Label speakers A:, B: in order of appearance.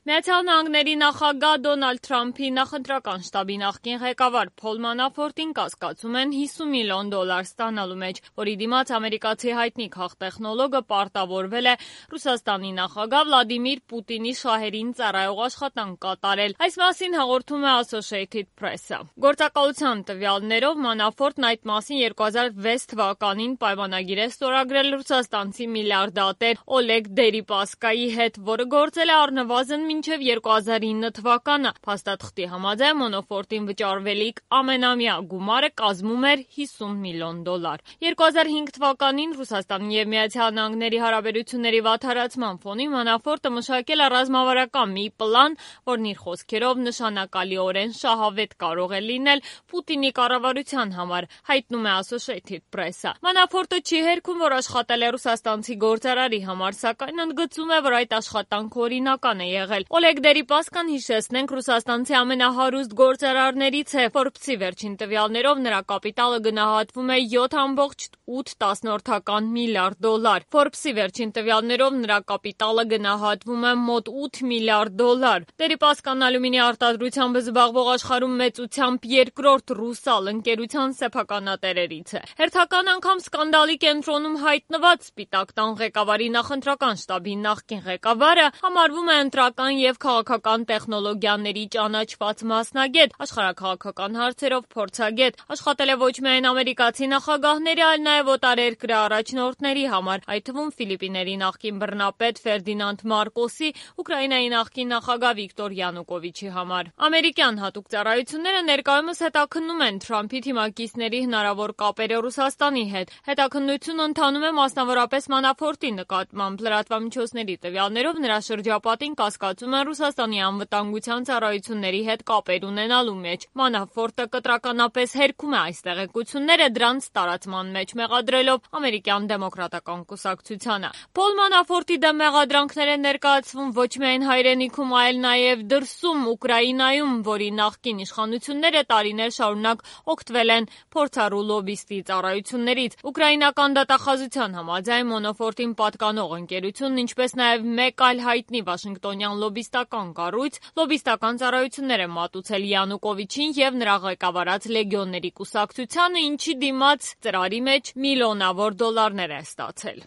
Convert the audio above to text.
A: Միացյալ Նահանգների նախագահ Դոնալդ Թրամփի նախընտրական շտաբի նախկին ղեկավար Փոլ Մանաֆորտին կասկածում են $50 միլիոն ստանալու մեջ, որի դիմաց ամերիկացի հայտնի քաղտեխնոլոգը պարտավորվել է Ռուսաստանի նախագահ Վլադիմիր Պուտինի շահերին ծառայող աշխատանք կատարել։ Այս մասին հաղորդում է Associated Press-ը։ Գործակալության տվյալներով Մանաֆորտն այդ մասին 2006 թվականին պայմանագիր է ստորագրել ռուսաստանցի միլիարդատեր Օլեգ Դերիպասկայի հետ, որը գործել է առնվազն մինչև 2009 թվականը։ Փաստաթղթի համաձայն Մանաֆորտին վճարվելիք ամենամյա գումարը կազմում էր $50 միլիոն։ 2005 թվականին Ռուսաստանի և Միացյալ Նահանգների հարաբերությունների վատթարացման ֆոնին Մանաֆորտը մշակել է ռազմավարական մի պլան, որն իր խոսքերով նշանակալիորեն շահավետ կարող է լինել Պուտինի կառավարության համար, հայտնում է Associated Press-ը։ Մանաֆորտը չի հերքում, որ աշխատել է ռուսաստանցի գործարարի համար, սակայն ընդգծում է, որ այդ աշխատանքը օրինական է եղել։ Օլեգ Դերիպասկան, հիշեցնենք, ռուսաստանցի ամենահարուստ գործարարներից է։ Forbes-ի վերջին տվյալներով նրա կապիտալը գնահատվում է $7.8 միլիարդ։ Forbes-ի վերջին տվյալներով նրա կապիտալը գնահատվում է մոտ $8 միլիարդ։ Դերիպասկան ալյումինի արտադրությամբ զբաղվող աշխարհում մեծությամբ երկրորդ ռուսալ ընկերության սեփականատերերից է։ Հերթական անգամ սկանդալի կենտրոնում հայտնված Սպիտակ տան ղեկավարի նախընտրական շտաբի նախկին ղեկավարը համարվում է ընտրական և քաղաքական տեխնոլոգիաների ճանաչված մասնագետ, աշխարհաքաղաքական հարցերով փորձագետ, աշխատել է ոչ միայն ամերիկացի նախագահների, այլ նաև օտարերկրյա առաջնորդների համար, այդ թվում Ֆիլիպիների նախկին բռնապետ Ֆերդինանդ Մարկոսի, Ուկրաինայի նախկին նախագահ Վիկտոր Յանուկովիչի համար։ Ամերիկյան հատուկ ծառայությունները ներկայումս հետաքննում են Թրամփի թիմակիցների հնարավոր կապերը Ռուսաստանի հետ։ Հետաքննությունը ընթանում է մասնավորապես Մանաֆորտի նկատմամբ։ Լրատվամիջոցների տվյալներով նրա շրջապատին կասկածում են Ռուսաստանի անվտանգության ծառայությունների հետ կապեր ունենալու մեջ։ Մանաֆորտը կտրականապես հերքում է այս տեղեկությունները, դրանց տարածման մեջ մեղադրելով ամերիկյան դեմոկրատական կուսակցությանը։ Փոլ Մանաֆորտի դեմ մեղադրանքներ են ներկայացվում ոչ միայն հայրենիքում, այլ նաև դրսում, Ուկրաինայում, որի նախկին իշխանությունները տարիներ շարունակ օգտվել են փորձառու լոբբիստի ծառայություններից։ Ուկրաինական դատախազության համաձայն Մանաֆորտին պատկանող ընկերությունն, ինչպես նաև մեկ այլ հայտնի վաշինգտոնյան լոբբիստական կառույց, լոբբիստական ծառայություններ են մատուցել Յանուկովիչին և նրա ղեկավարած Լեգիոնների կուսակցությանը, ինչի դիմաց ծրարի մեջ միլիոնավոր դոլարներ է ստացել։